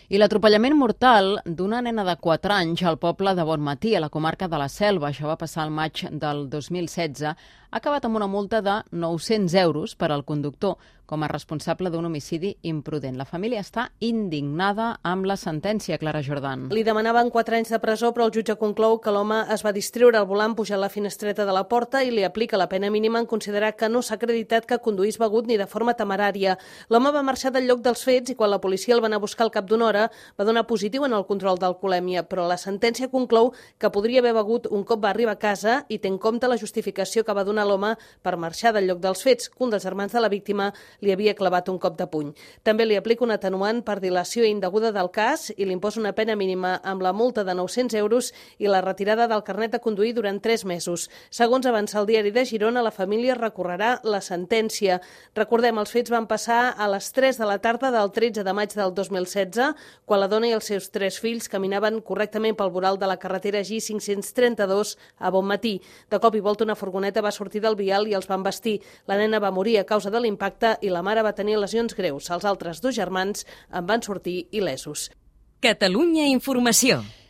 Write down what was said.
I l'atropellament mortal d'una nena de 4 anys al poble de Bonmatí, a la comarca de la Selva, això va passar al maig del 2016, ha acabat amb una multa de 900 euros per al conductor com a responsable d'un homicidi imprudent. La família està indignada amb la sentència, Clara Jordan. Li demanaven 4 anys de presó, però el jutge conclou que l'home es va distreure al volant pujant la finestreta de la porta i li aplica la pena mínima en considerar que no s'ha acreditat que conduís begut ni de forma temerària. L'home va marxar del lloc dels fets i quan la policia el va anar a buscar al cap d'una hora va donar positiu en el control d'alcoholèmia, però la sentència conclou que podria haver begut un cop va arribar a casa i té en compte la justificació que va donar l'home per marxar del lloc dels fets, que un dels germans de la víctima li havia clavat un cop de puny. També li aplica un atenuant per dilació indeguda del cas i li imposa una pena mínima amb la multa de 900 euros i la retirada del carnet de conduir durant 3 mesos. Segons avança el diari de Girona, la família recorrerà la sentència. Recordem, els fets van passar a les 3 de la tarda del 13 de maig del 2016, quan la dona i els seus 3 fills caminaven correctament pel voral de la carretera G532 a Bonmatí. De cop i volta una furgoneta va sortir del vial i els van embestir. La nena va morir a causa de l'impacte i la mare va tenir lesions greus. Els altres 2 germans en van sortir il·lesos. Catalunya Informació.